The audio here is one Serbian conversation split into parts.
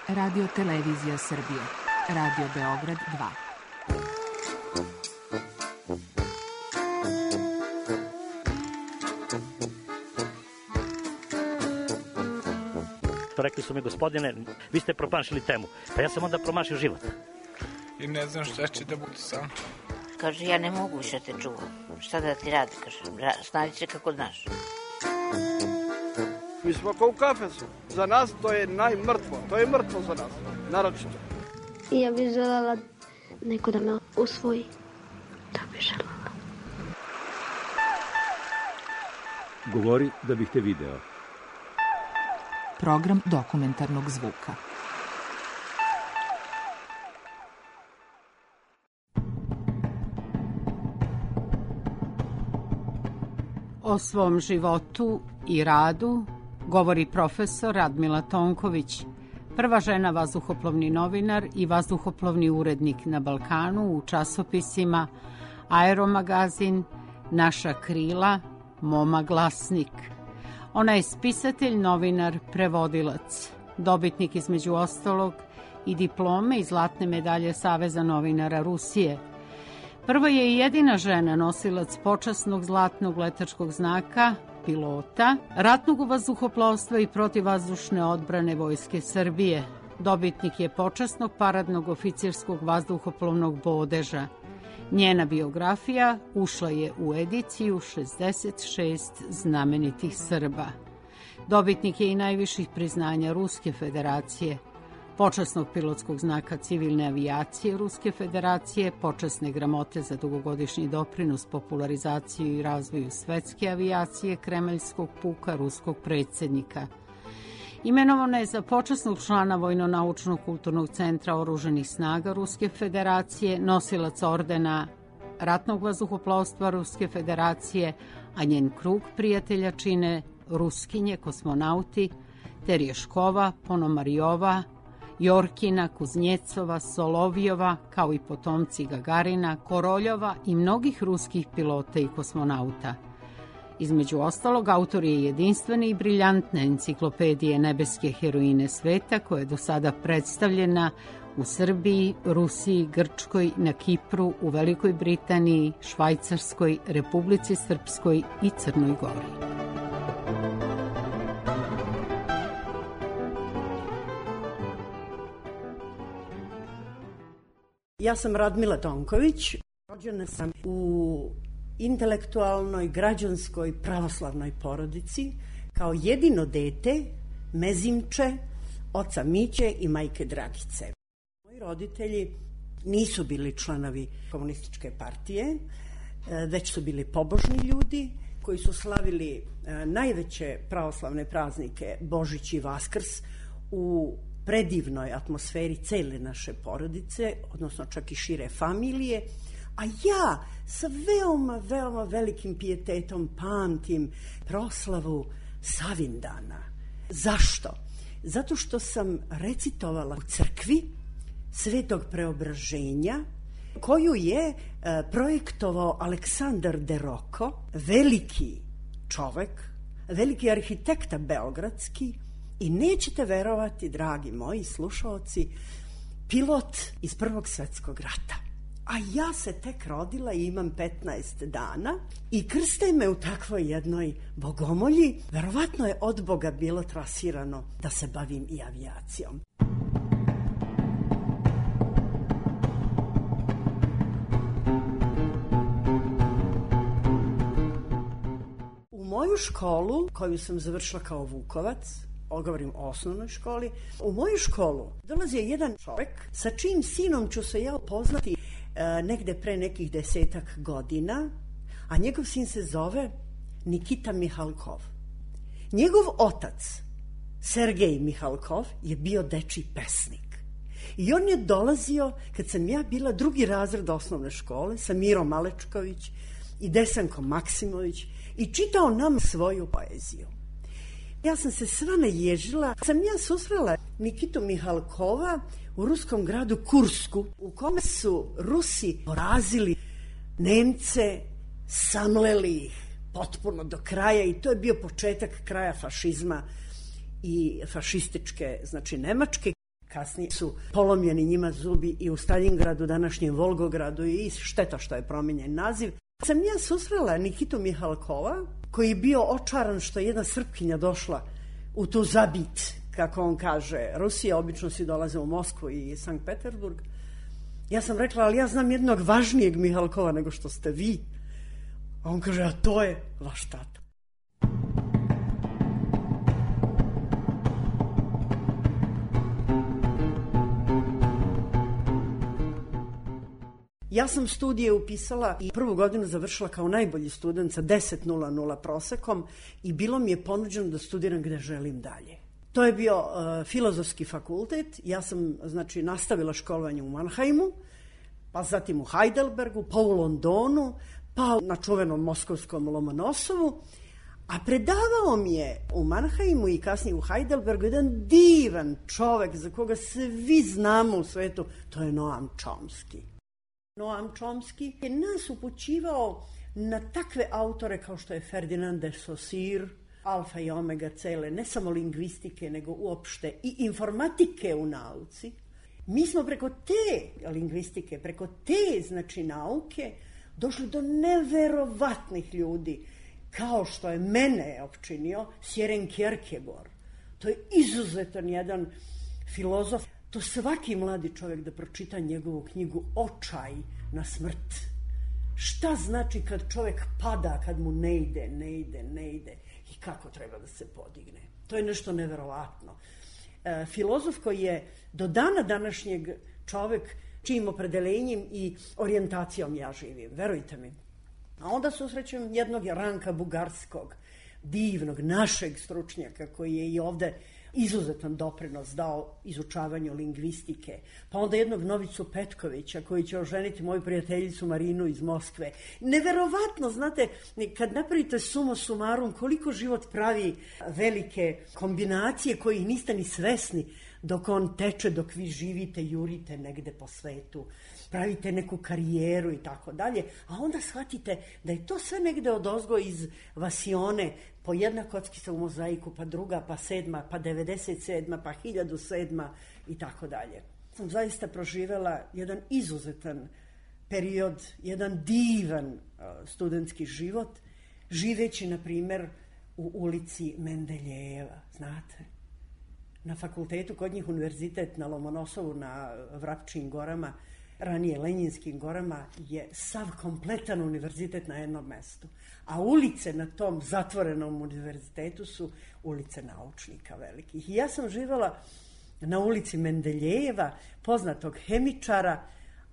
Radio Televizija Srbije. Radio Beograd 2. Rekli su mi, gospodine, vi ste promašili temu. Pa ja sam onda promašio život. I ne znam šta će da bude sam. Kaže, ja ne mogu više te čuvam. Šta da ti radi, kaže, snađi se kako znaš. Mi smo kao u kafesu. Za nas to je najmrtvo. To je mrtvo za nas, naročito. I ja bih želela neko da me usvoji. To bih želela. Govori da bih te video. Program dokumentarnog zvuka. O svom životu i radu govori profesor Radmila Tonković, prva žena vazduhoplovni novinar i vazduhoplovni urednik na Balkanu u časopisima Aeromagazin, Naša krila, Moma glasnik. Ona je spisatelj, novinar, prevodilac, dobitnik između ostalog i diplome i zlatne medalje Saveza novinara Rusije. Prva je i jedina žena nosilac počasnog zlatnog letačkog znaka, pilota, ratnog vazduhoplovstva i protivvazdušne odbrane Vojske Srbije. Dobitnik je počasnog paradnog oficirskog vazduhoplovnog bodeža. Njena biografija ušla je u ediciju 66 znamenitih Srba. Dobitnik je i najviših priznanja Ruske federacije, počasnog pilotskog znaka civilne avijacije Ruske federacije, počasne gramote za dugogodišnji doprinos popularizaciju i razvoju svetske avijacije Kremeljskog puka ruskog predsjednika. Imenovana je za počasnog člana Vojno-naučnog kulturnog centra Oruženih snaga Ruske federacije, nosilac ordena ratnog vazduhoplovstva Ruske federacije, a njen krug prijatelja čine Ruskinje, kosmonauti, Terješkova, Ponomarijova, Jorkina, Kuznjecova, Solovjova, kao i potomci Gagarina, Koroljova i mnogih ruskih pilota i kosmonauta. Između ostalog, autor je jedinstvene i briljantne enciklopedije nebeske heroine sveta, koja je do sada predstavljena u Srbiji, Rusiji, Grčkoj, na Kipru, u Velikoj Britaniji, Švajcarskoj, Republici Srpskoj i Crnoj Gori. Ja sam Radmila Tonković, rođena sam u intelektualnoj, građanskoj, pravoslavnoj porodici, kao jedino dete mezimče oca Miće i majke Dragice. Moji roditelji nisu bili članovi komunističke partije, već su bili pobožni ljudi koji su slavili najveće pravoslavne praznike Božić i Vaskrs u predivnoj atmosferi cele naše porodice, odnosno čak i šire familije, a ja sa veoma, veoma velikim pijetetom pamtim proslavu Savindana. Zašto? Zato što sam recitovala u crkvi Svetog Preobraženja, koju je projektovao Aleksandar de Roko, veliki čovek, veliki arhitekta beogradski, i nećete verovati, dragi moji slušaoci, pilot iz Prvog svetskog rata. A ja se tek rodila i imam 15 dana i krste me u takvoj jednoj bogomolji. Verovatno je od Boga bilo trasirano da se bavim i avijacijom. U moju školu, koju sam završila kao Vukovac, govorim o osnovnoj školi, u moju školu dolazio jedan čovek sa čijim sinom ću se ja upoznati negde pre nekih 10 godina, a njegov sin se zove Nikita Mihalkov. Njegov otac, Sergej Mihalkov, je bio dečiji pesnik. I on je dolazio, kad sam ja bila 2. razred osnovne škole, sa Mirom Malečković i Desankom Maksimović, i čitao nam svoju poeziju. Ja sam se sva naježila. Sam ja susrela Nikitu Mihalkova u ruskom gradu Kursku, u kome su Rusi porazili Nemce, samleli ih potpuno do kraja, i to je bio početak kraja fašizma i fašističke, znači Nemačke. kasnije su polomljeni njima zubi i u Staljingradu, današnjem Volgogradu, i šteta što je promijenjen naziv. Sam ja susrela Nikitu Mihalkova, koji je bio očaran što je jedna Srpkinja došla u tu zabit, kako on kaže, Rusija, obično svi dolaze u Moskvu i Sankt Peterburg. Ja sam rekla, ali ja znam jednog važnijeg Mihalkova nego što ste vi. A on kaže, a to je vaš tata. Ja sam studije upisala i prvu godinu završila kao najbolji student sa 10,00 prosekom i bilo mi je ponuđeno da studiram gde želim dalje. To je bio filozofski fakultet. Ja sam, znači, nastavila školovanje u Mannheimu, pa zatim u Heidelbergu, pa u Londonu, pa na čuvenom moskovskom Lomonosovu, a predavao mi je u Mannheimu i kasnije u Heidelbergu jedan divan čovek za koga svi znamo u svetu, to je Noam Chomsky. Noam Chomsky je nas upućivao na takve autore kao što je Ferdinand de Saussure, alfa i omega cele, ne samo lingvistike, nego uopšte i informatike u nauci. Mi smo preko te lingvistike, preko te, znači, nauke, došli do neverovatnih ljudi, kao što je mene opčinio Søren Kierkegaard. To je izuzetan jedan filozof. To svaki mladi čovjek da pročita njegovu knjigu Očaj na smrt. Šta znači kad čovjek pada, kad mu ne ide i kako treba da se podigne. To je nešto neverovatno. Filozof koji je do dana današnjeg čovjek čijim opredeljenjem i orijentacijom ja živim, verujte mi. A onda susrećem jednog Ranka Bugarskog, divnog, našeg stručnjaka koji je i ovde izuzetan doprinos dao izučavanju lingvistike. Pa onda jednog Novicu Petkovića koji će oženiti moju prijateljicu Marinu iz Moskve. Neverovatno, znate, kad napravite suma sumarum koliko život pravi velike kombinacije kojih niste ni svesni dok on teče, dok vi živite, jurite negde po svetu, pravite neku karijeru i tako dalje, a onda shvatite da je to sve negde odozgo iz vasione, po jedna kockica u mozaiku, pa druga, pa 7, pa 97, pa 1007 i tako dalje. Sam zaista proživela jedan izuzetan period, jedan divan studentski život, živeći, na primer, u ulici Mendeljejeva, znate. Na fakultetu, kod njih univerzitet na Lomonosovu, na Vrapčijim gorama, ranije Lenjinskim gorama, je sav kompletan univerzitet na jednom mestu. A ulice na tom zatvorenom univerzitetu su ulice naučnika velikih. I ja sam živjela na ulici Mendeljejeva, poznatog hemičara,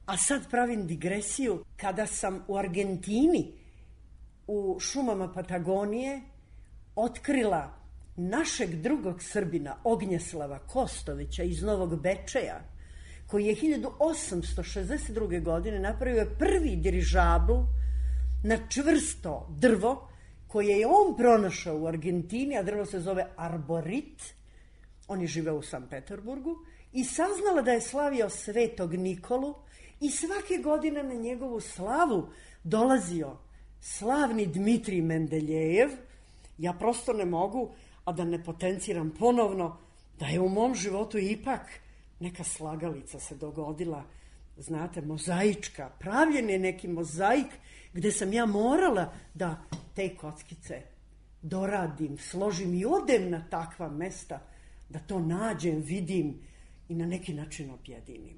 a sad pravim digresiju, kada sam u Argentini, u šumama Patagonije, otkrila našeg drugog Srbina, Ognjeslava Kostovića iz Novog Bečeja, koji je 1862. godine napravio prvi dirižabl na čvrsto drvo, koje je on pronašao u Argentini, a drvo se zove arborit. On je živeo u Sankt Peterburgu i saznala da je slavio Svetog Nikolu i svake godine na njegovu slavu dolazio slavni Dmitrij Mendeljejev. Ja prosto ne mogu, a da ne potenciram ponovno, da je u mom životu ipak neka slagalica se dogodila, znate, mozaička. Pravljen je neki mozaik gde sam ja morala da te kockice doradim, složim i odem na takva mesta, da to nađem, vidim i na neki način objedinim.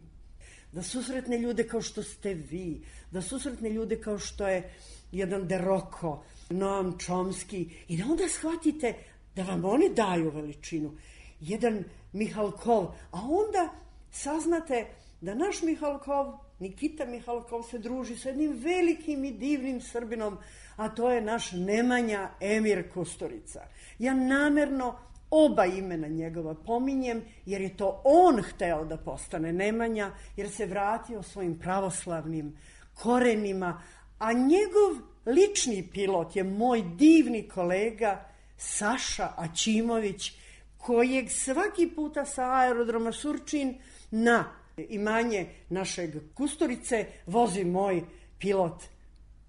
Da susretne ljude kao što ste vi, da susretne ljude kao što je jedan De Rocco, Noam Chomsky, i da onda shvatite da vam oni daju veličinu. Jedan Mihalkov, a onda saznate da naš Mihalkov, Nikita Mihalkov, se druži sa jednim velikim i divnim Srbinom, a to je naš Nemanja Emir Kusturica. Ja namerno oba imena njegova pominjem, jer je to on hteo da postane Nemanja, jer se vratio svojim pravoslavnim korenima, a njegov lični pilot je moj divni kolega Saša Aćimović, kojeg svaki puta sa aerodroma Surčin na imanje našeg Kusturice vozi moj pilot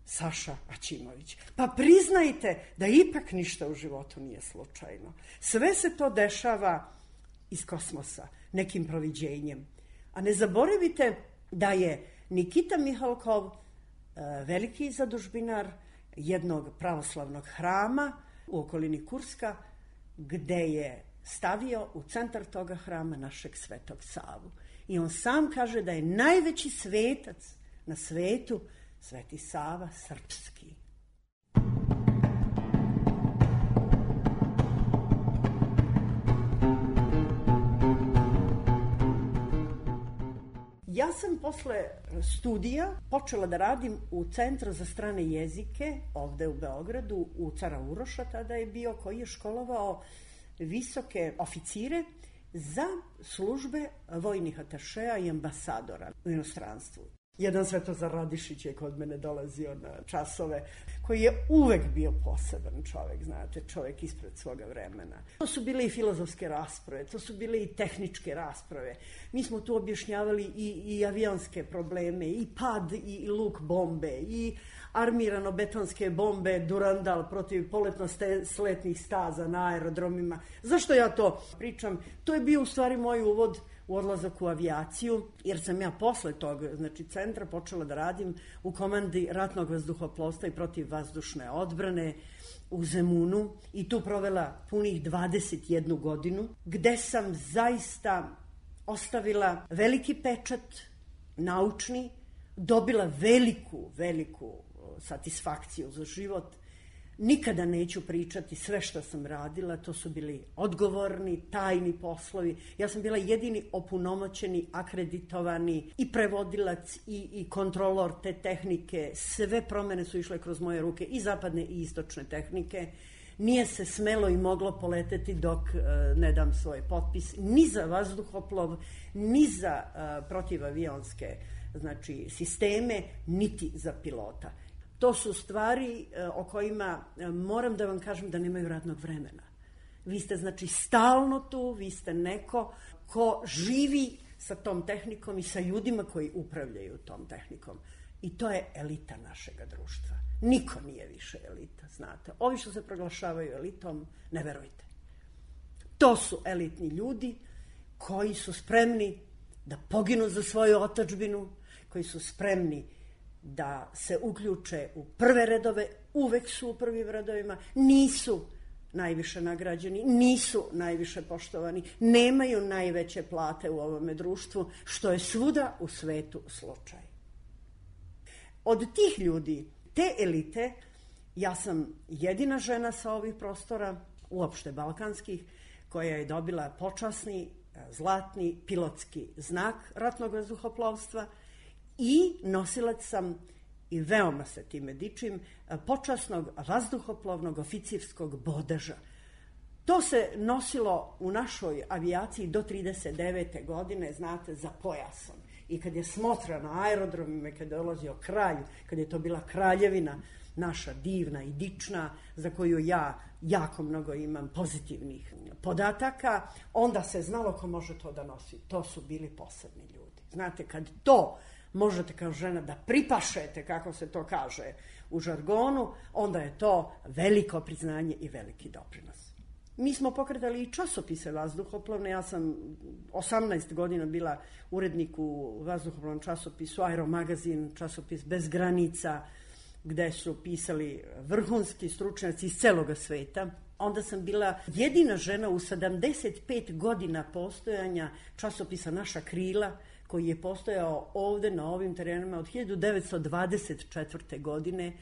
Saša Aćimović. Pa priznajte da ipak ništa u životu nije slučajno. Sve se to dešava iz kosmosa, nekim proviđenjem. A ne zaboravite da je Nikita Mihalkov, veliki zadužbinar jednog pravoslavnog hrama u okolini Kurska, gde je stavio u centar toga hrama našeg Svetog Savu. I on sam kaže da je najveći svetac na svetu Sveti Sava srpski. Ja sam posle studija počela da radim u Centru za strane jezike ovde u Beogradu, u Cara Uroša tada je bio, koji je školovao visoke oficire za službe vojnih atašeja i ambasadora u inostranstvu. Jedan Svetozar Radišić je kod mene dolazio na časove, koji je uvek bio poseban čovek, znate, čovek ispred svoga vremena. To su bile i filozofske rasprave, to su bile i tehničke rasprave. Mi smo tu objašnjavali i avionske probleme, i pad i luk bombe, i armirano-betonske bombe Durandal protiv poletno-sletnih staza na aerodromima. Zašto ja to pričam? To je bio u stvari moj uvod u odlazak u avijaciju, jer sam ja posle tog, znači, centra počela da radim u komandi ratnog vazduhoplovstva i protivvazdušne odbrane u Zemunu i tu provela punih 21 godinu, gde sam zaista ostavila veliki pečat naučni, dobila veliku satisfakciju za život. Nikada neću pričati sve što sam radila, to su bili odgovorni, tajni poslovi. Ja sam bila jedini opunomoćeni, akreditovani i prevodilac i kontrolor te tehnike. Sve promene su išle kroz moje ruke, i zapadne i istočne tehnike. Nije se smelo i moglo poleteti dok ne dam svoj potpis, ni za vazduhoplov, ni za protivavionske, znači, sisteme, niti za pilota. To su stvari o kojima moram da vam kažem da nemaju radnog vremena. Vi ste, znači, stalno tu, vi ste neko ko živi sa tom tehnikom i sa ljudima koji upravljaju tom tehnikom. I to je elita našega društva. Niko nije više elita, znate. Ovi što se proglašavaju elitom, ne verujte. To su elitni ljudi koji su spremni da poginu za svoju otadžbinu, koji su spremni da se uključe u prve redove, uvek su u prvim redovima, nisu najviše nagrađeni, nisu najviše poštovani, nemaju najveće plate u ovome društvu, što je svuda u svetu slučaj. Od tih ljudi, te elite, ja sam jedina žena sa ovih prostora, uopšte balkanskih, koja je dobila počasni, zlatni pilotski znak ratnog vazduhoplovstva, i nosilac sam, i veoma se time dičim, počasnog vazduhoplovnog oficirskog bodeža. To se nosilo u našoj avijaciji do 39. godine, znate, za pojasom. I kad je smotra na aerodromima, kad je dolazio kralj, kad je to bila kraljevina, naša divna i dična, za koju ja jako mnogo imam pozitivnih podataka, onda se znalo ko može to da nosi. To su bili posebni ljudi. Znate, kad to možete kao žena da pripašete, kako se to kaže u žargonu, onda je to veliko priznanje i veliki doprinos. Mi smo pokretali i časopise vazduhoplovne. Ja sam 18 godina bila urednik u vazduhoplovnom časopisu Aeromagazin, časopis Bez granica, gde su pisali vrhunski stručnjaci iz celoga sveta. Onda sam bila jedina žena u 75 godina postojanja časopisa Naša krila, koji je postojao ovde na ovim terenima od 1924. godine,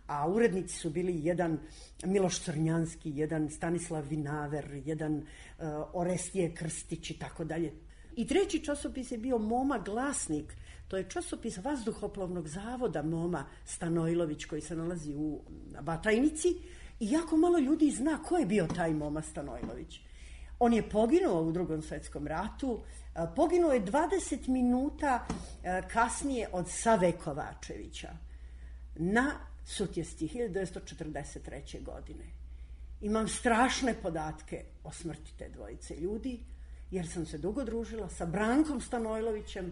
a urednici su bili jedan Miloš Crnjanski, jedan Stanislav Vinaver, jedan Orestije Krstić i tako dalje. I treći časopis je bio Moma Glasnik, to je časopis Vazduhoplovnog zavoda Moma Stanojlović, koji se nalazi u Batajnici, i jako malo ljudi zna ko je bio taj Moma Stanojlović. On je poginuo u Drugom svetskom ratu, poginuo je 20 minuta kasnije od Save Kovačevića na Sutjesti 1943. godine. Imam strašne podatke o smrti te dvojice ljudi, jer sam se dugo družila sa Brankom Stanojlovićem,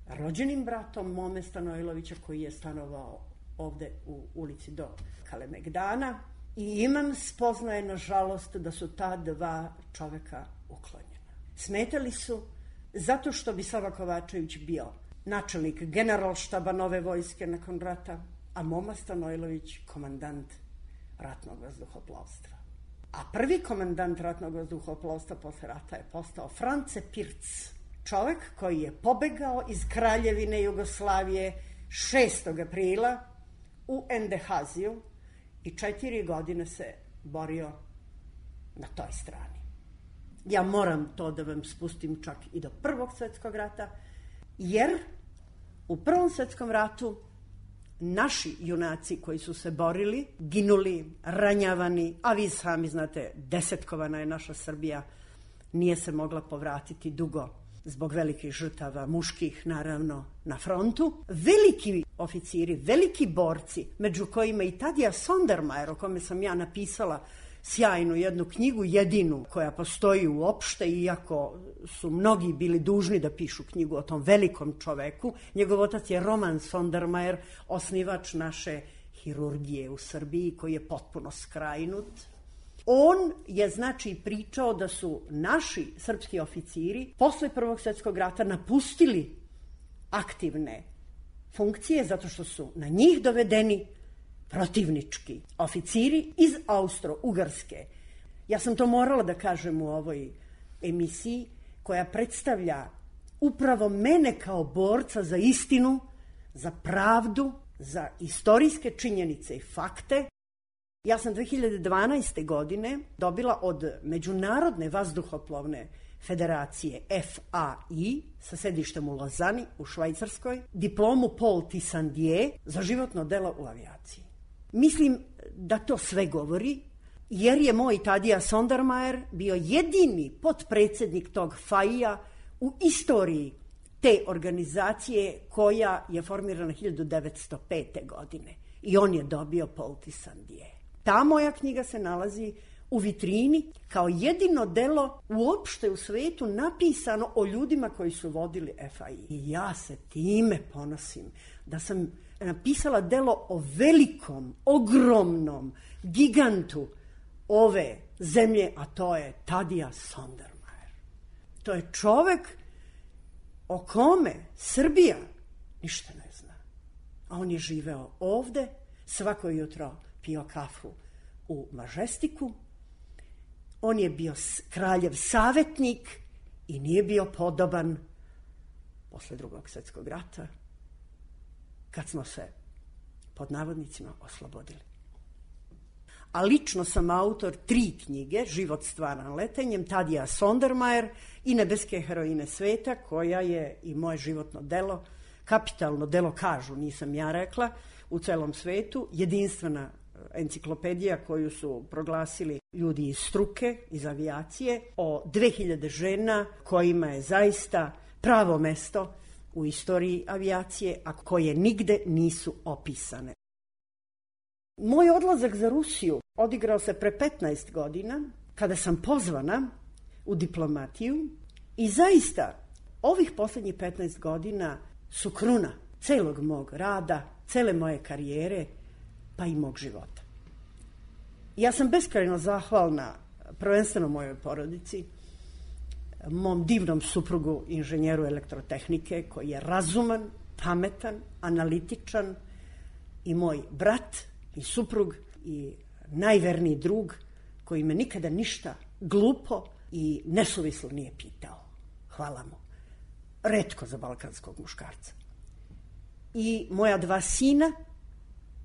rođenim bratom Mome Stanojlovića, koji je stanovao ovde u ulici do Kalemegdana, i imam spoznaje, nažalost, da su ta dva čoveka uklonjena. Smetali su zato što bi Sava Kovačević bio načelnik generalštaba nove vojske nakon rata, a Moma Stanojlović komandant ratnog vazduhoplovstva. A prvi komandant ratnog vazduhoplovstva posle rata je postao France Pirc, čovek koji je pobegao iz Kraljevine Jugoslavije 6. aprila u Endehaziju i 4 godine se borio na toj strani. Ja moram to da vam spustim čak i do Prvog svjetskog rata, jer u Prvom svjetskom ratu naši junaci koji su se borili, ginuli, ranjavani, a vi sami znate, desetkovana je naša Srbija, nije se mogla povratiti dugo zbog velikih žrtava, muških naravno, na frontu. Veliki oficiri, veliki borci, među kojima i Tadija Sondermajer, o kome sam ja napisala sjajnu jednu knjigu, jedinu koja postoji uopšte, iako su mnogi bili dužni da pišu knjigu o tom velikom čoveku. Njegov otac je Roman Sondermajer, osnivač naše hirurgije u Srbiji, koji je potpuno skrajnut. On je, znači, pričao da su naši srpski oficiri posle Prvog svjetskog rata napustili aktivne funkcije zato što su na njih dovedeni protivnički oficiri iz Austro-Ugarske. Ja sam to morala da kažem u ovoj emisiji koja predstavlja upravo mene kao borca za istinu, za pravdu, za istorijske činjenice i fakte. Ja sam 2012. godine dobila od Međunarodne vazduhoplovne federacije FAI sa sedištem u Lozani u Švajcarskoj diplomu Paul Tissandier za životno delo u avijaciji. Mislim da to sve govori, jer je moj Tadija Sondermajer bio jedini potpredsjednik tog FAI-a u istoriji te organizacije koja je formirana 1905. godine. I on je dobio Paul Tissandier. Ta moja knjiga se nalazi u vitrini kao jedino delo uopšte u svetu napisano o ljudima koji su vodili FAI. I ja se time ponosim da sam napisala delo o velikom, ogromnom gigantu ove zemlje, a to je Tadija Sondermajer. To je čovek o kome Srbija ništa ne zna. A on je živeo ovde, svako jutro pio kafu u Mažestiku. On je bio kraljev savjetnik i nije bio podoban posle Drugog svjetskog rata, kad smo se, pod navodnicima, oslobodili. A lično sam autor 3 knjige, Život stvaran letenjem, Tadija Sondermajer i Nebeske heroine sveta, koja je i moje životno delo, kapitalno delo, kažu, nisam ja rekla, u celom svetu, jedinstvena enciklopedija koju su proglasili ljudi iz struke, iz avijacije, o 2000 žena kojima je zaista pravo mesto u istoriji avijacije, a koje nigde nisu opisane. Moj odlazak za Rusiju odigrao se pre 15 godina, kada sam pozvana u diplomatiju i zaista ovih posljednjih 15 godina su kruna celog mog rada, cele moje karijere, pa i mog života. Ja sam beskrajno zahvalna prvenstveno mojoj porodici, mom divnom suprugu, inženjeru elektrotehnike, koji je razuman, pametan, analitičan, i moj brat i suprug i najverniji drug, koji me nikada ništa glupo i nesuvislo nije pitao. Hvala mu. Retko za balkanskog muškarca. I moja 2 sina,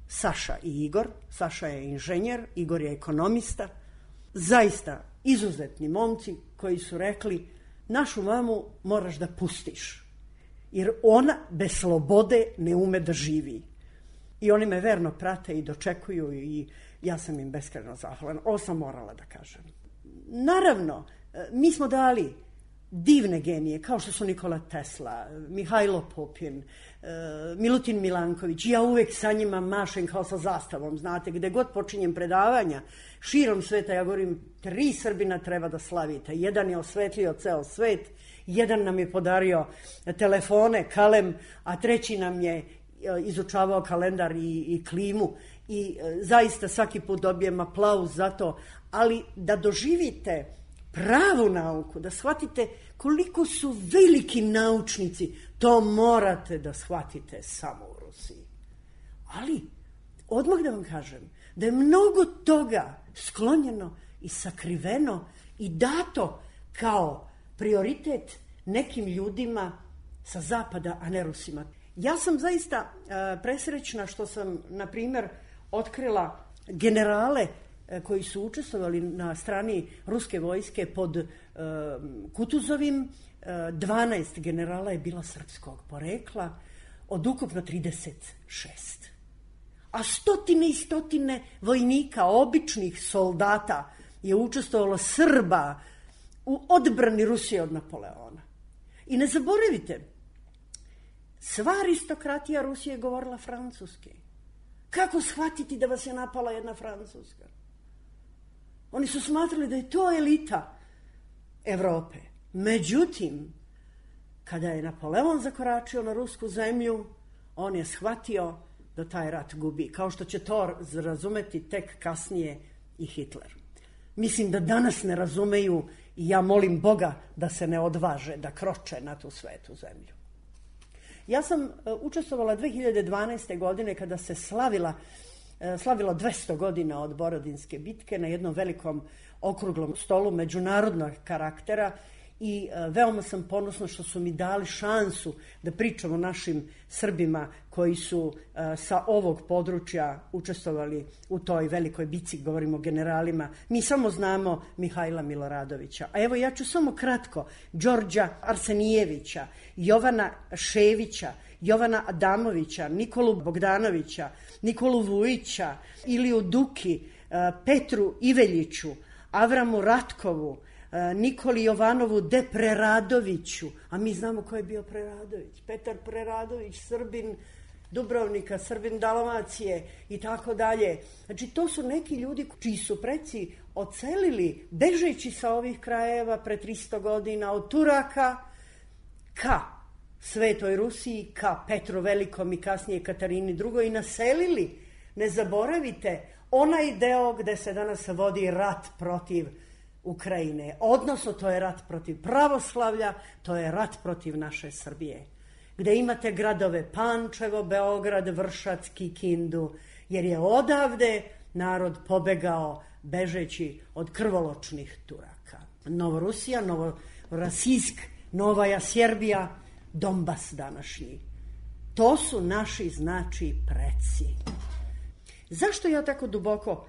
Saša i Igor. Saša je inženjer, Igor je ekonomista. Zaista izuzetni momci koji su rekli: našu mamu moraš da pustiš, jer ona bez slobode ne ume da živi. I oni me verno prate i dočekuju i ja sam im beskrajno zahvalan. Ovo sam morala da kažem. Naravno, mi smo dali divne genije, kao što su Nikola Tesla, Mihajlo Popin, Milutin Milanković. Ja uvek sa njima mašem kao sa zastavom, znate, gde god počinjem predavanja širom sveta, ja govorim: 3 Srbina treba da slavite. Jedan je osvetlio ceo svet, jedan nam je podario telefone, kalem, a 3 nam je izučavao kalendar i klimu. I zaista svaki put dobijem aplauz za to, ali da doživite pravu nauku, da shvatite koliko su veliki naučnici, to morate da shvatite samo u Rusiji. Ali, odmah da vam kažem, da je mnogo toga sklonjeno i sakriveno i dato kao prioritet nekim ljudima sa zapada, a ne Rusima. Ja sam zaista presrećna što sam, na primjer, otkrila generale koji su učestvovali na strani ruske vojske pod Kutuzovim. 12 generala je bila srpskog porekla, od ukupno 36. A stotine i stotine vojnika, običnih soldata je učestvovalo, Srba, u odbrani Rusije od Napoleona. I ne zaboravite, sva aristokratija Rusije je govorila francuski. Kako shvatiti da vas je napala jedna Francuska? Oni su smatrali da je to elita Evrope. Međutim, kada je Napoleon zakoračio na rusku zemlju, on je shvatio da taj rat gubi. Kao što će to razumeti tek kasnije i Hitler. Mislim da danas ne razumeju i ja molim Boga da se ne odvaže da kroče na tu svetu zemlju. Ja sam učestvovala 2012. godine kada se slavilo 200 godina od Borodinske bitke na jednom velikom okruglom stolu međunarodnog karaktera i veoma sam ponosna što su mi dali šansu da pričam o našim Srbima koji su sa ovog područja učestvovali u toj velikoj bitci, govorimo o generalima. Mi samo znamo Mihajla Miloradovića. A evo ja ću samo kratko Đorđa Arsenijevića, Jovana Ševića, Jovana Adamovića, Nikolu Bogdanovića, Nikolu Vujića, Iliju Duki, Petru Iveljiću, Avramu Ratkovu, Nikoli Jovanovu de Preradoviću, a mi znamo ko je bio Preradović. Petar Preradović, Srbin Dubrovnika, Srbin Dalmacije i tako dalje. Znači, to su neki ljudi čiji su preci ocelili, bežeći sa ovih krajeva pre 300 godina od Turaka ka Svetoj Rusiji, ka Petru Velikom i kasnije Katarini II. I naselili, ne zaboravite, onaj deo gde se danas vodi rat protiv Ukrajine. Odnosno, to je rat protiv pravoslavlja, to je rat protiv naše Srbije. Gde imate gradove Pančevo, Beograd, Vršac, Kikindu, jer je odavde narod pobegao bežeći od krvoločnih Turaka. Novorusija, Novorasijsk, Novaja Sjerbija, Donbas današnji. To su naši, znači, preci. Zašto ja tako duboko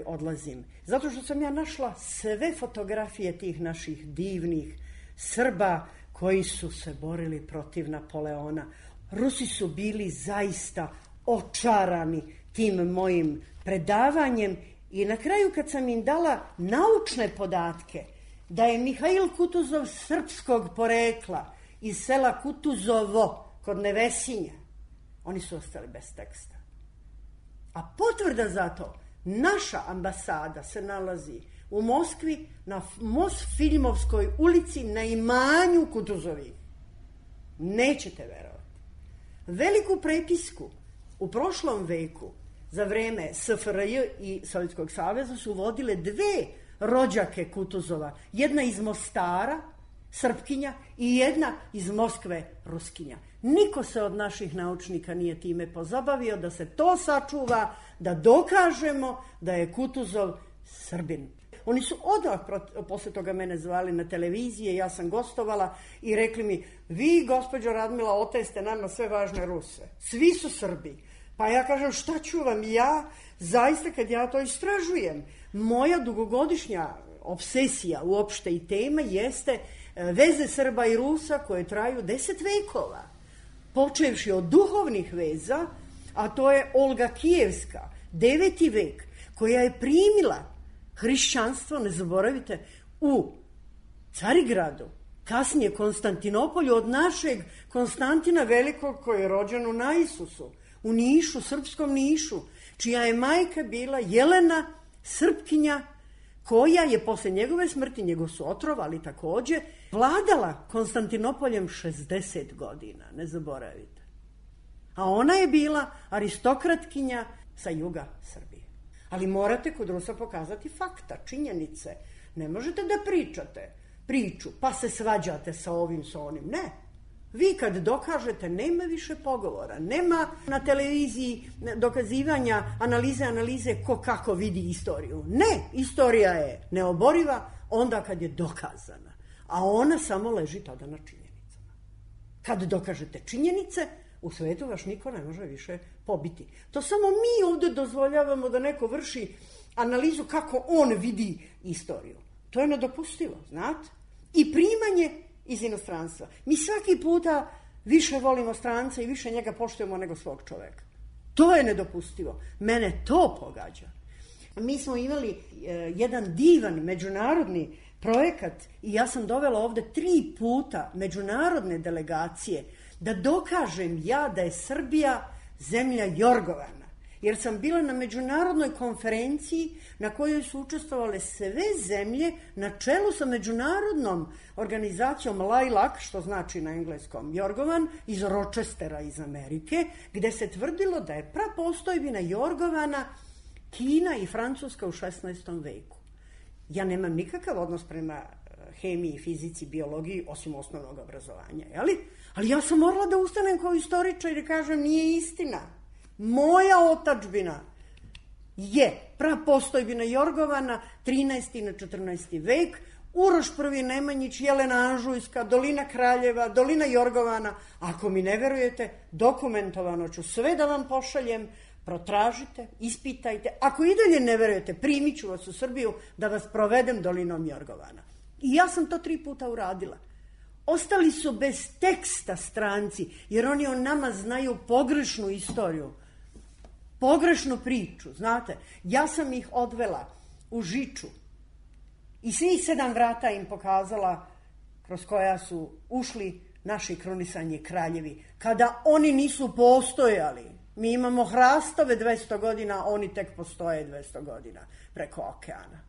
odlazim? Zato što sam ja našla sve fotografije tih naših divnih Srba koji su se borili protiv Napoleona. Rusi su bili zaista očarani tim mojim predavanjem i na kraju kad sam im dala naučne podatke da je Mihail Kutuzov srpskog porekla iz sela Kutuzovo kod Nevesinja, oni su ostali bez teksta. A potvrda za to, naša ambasada se nalazi u Moskvi na Mosfilmovskoj ulici na imanju Kutuzovi. Nećete verovati. Veliku prepisku u prošlom veku za vreme SFRJ i Sovjetskog saveza su vodile dve rođake Kutuzova. Jedna iz Mostara, Srpkinja, i jedna iz Moskve, Ruskinja. Niko se od naših naučnika nije time pozabavio da se to sačuva, da dokažemo da je Kutuzov Srbin. Oni su odmah posle toga mene zvali na televizije, ja sam gostovala i rekli mi, vi, gospođo Radmila, oteste nama sve važne Ruse. Svi su Srbi. Pa ja kažem, šta ću vam ja, zaista kad ja to istražujem? Moja dugogodišnja obsesija uopšte i tema jeste veze Srba i Rusa koje traju 10 vekova. Počevši od duhovnih veza, a to je Olga Kijevska, 9. vek, koja je primila hrišćanstvo, ne zaboravite, u Carigradu, kasnije Konstantinopolju, od našeg Konstantina Velikog koji je rođen u Naisusu, u Nišu, srpskom Nišu, čija je majka bila Jelena, Srpkinja, koja je posle njegove smrti, njegov su otrovali takođe, vladala Konstantinopoljem 60 godina, ne zaboravite. A ona je bila aristokratkinja sa juga Srbije. Ali morate kod Rusa pokazati fakta, činjenice. Ne možete da pričate priču, pa se svađate sa ovim, sa onim. Ne. Vi kad dokažete, nema više pogovora. Nema na televiziji dokazivanja, analize ko kako vidi istoriju. Ne, istorija je neoboriva onda kad je dokazana. A ona samo leži tada na činjenicama. Kad dokažete činjenice, u svetu vaš niko ne može više pobiti. To samo mi ovde dozvoljavamo da neko vrši analizu kako on vidi istoriju. To je nedopustivo, znate? I primanje iz inostranstva. Mi svaki puta više volimo stranca i više njega poštujemo nego svog čoveka. To je nedopustivo. Mene to pogađa. Mi smo imali jedan divan međunarodni projekat i ja sam dovela ovde 3 puta međunarodne delegacije da dokažem ja da je Srbija zemlja Jorgovana. Jer sam bila na međunarodnoj konferenciji na kojoj su učestvovale sve zemlje na čelu sa međunarodnom organizacijom LILAC, što znači na engleskom Jorgovan, iz Rochestera iz Amerike, gde se tvrdilo da je prapostojbina Jorgovana Kina i Francuska u 16. veku. Ja nemam nikakav odnos prema hemiji, fizici, biologiji, osim osnovnog obrazovanja, jeli? Ali ja sam morala da ustanem kao istoričar i kažem nije istina. Moja otadžbina je prapostojbina Jorgovana, 13. na 14. vek, Uroš I Nemanjić, Jelena Anžujska, Dolina Kraljeva, Dolina Jorgovana. Ako mi ne verujete, dokumentovano ću sve da vam pošaljem, protražite, ispitajte. Ako i dalje ne verujete, primit ću vas u Srbiju da vas provedem Dolinom Jorgovana. I ja sam to 3 puta uradila. Ostali su bez teksta stranci, jer oni o nama znaju pogrešnu istoriju, pogrešnu priču, znate. Ja sam ih odvela u Žiču i svih 7 vrata im pokazala kroz koja su ušli naši krunisani kraljevi. Kada oni nisu postojali, mi imamo hrastove 200 godina, oni tek postoje 200 godina preko okeana.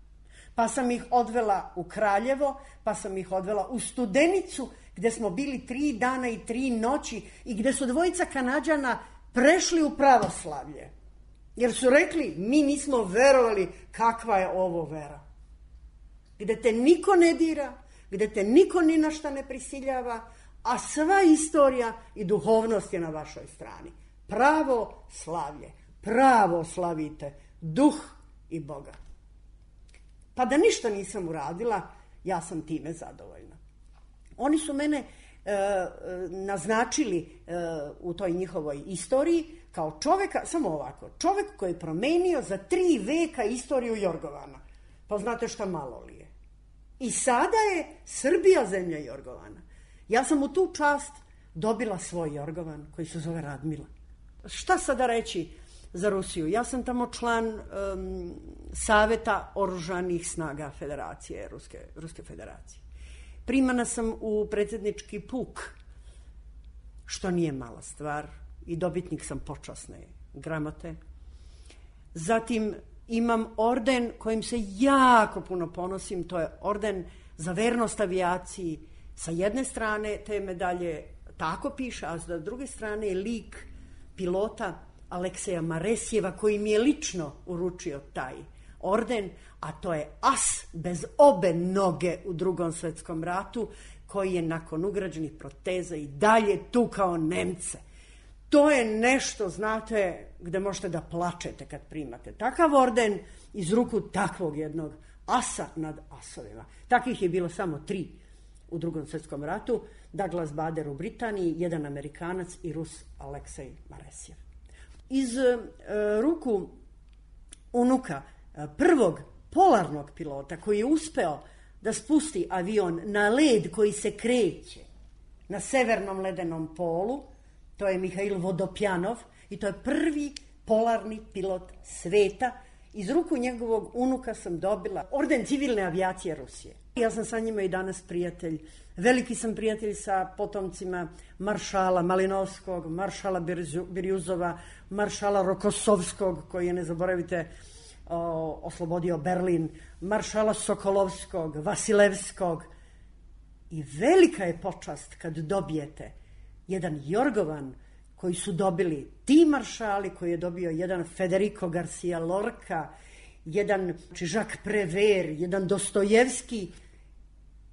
Pa sam ih odvela u Kraljevo, pa sam ih odvela u Studenicu, gde smo bili 3 dana i 3 noći i gde su 2 Kanađana prešli u pravoslavlje. Jer su rekli, mi nismo verovali kakva je ovo vera. Gde te niko ne dira, gde te niko ni na šta ne prisiljava, a sva istorija i duhovnost je na vašoj strani. Pravo slavlje, pravo slavite, duh i Boga. Pa da ništa nisam uradila, ja sam time zadovoljna. Oni su mene naznačili u toj njihovoj istoriji kao čoveka, samo ovako, čovek koji je promenio za 3 veka istoriju Jorgovana. Pa znate šta malo li je. I sada je Srbija zemlja Jorgovana. Ja sam u tu čast dobila svoj Jorgovan koji se zove Radmila. Šta sada reći za Rusiju? Ja sam tamo član Saveta oružanih snaga Federacije, Ruske federacije. Primana sam u predsjednički puk, što nije mala stvar, i dobitnik sam počasne gramote. Zatim imam orden kojim se jako puno ponosim, to je orden za vernost avijaciji. Sa jedne strane te medalje tako piše, a sa druge strane je lik pilota Alekseja Maresjeva koji mi je lično uručio taj orden, a to je as bez obe noge u Drugom svetskom ratu koji je nakon ugrađenih proteza i dalje tukao Nemce. To je nešto, znate, gde možete da plačete kad primate takav orden iz ruku takvog jednog asa nad asovima. Takvih je bilo samo 3 u Drugom svetskom ratu, Douglas Bader u Britaniji, jedan Amerikanac i Rus Aleksej Maresjev. Iz ruku unuka prvog polarnog pilota koji je uspeo da spusti avion na led koji se kreće na severnom ledenom polu, to je Mihail Vodopjanov i to je prvi polarni pilot sveta. Iz ruku njegovog unuka sam dobila orden civilne avijacije Rusije. Ja sam sa njima i danas prijatelj. Veliki sam prijatelj sa potomcima maršala Malinovskog, maršala Birjuzova, maršala Rokosovskog, koji je, ne zaboravite, oslobodio Berlin, maršala Sokolovskog, Vasilevskog. I velika je počast kad dobijete jedan Jorgovan koji su dobili ti maršali, koji je dobio jedan Federico Garcia Lorca jedan Jacques Prévert, jedan Dostojevski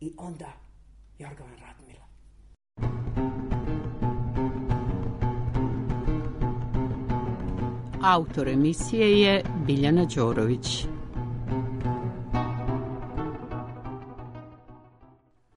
i onda Jorgovan Radmila. Autor emisije je Biljana Đorović.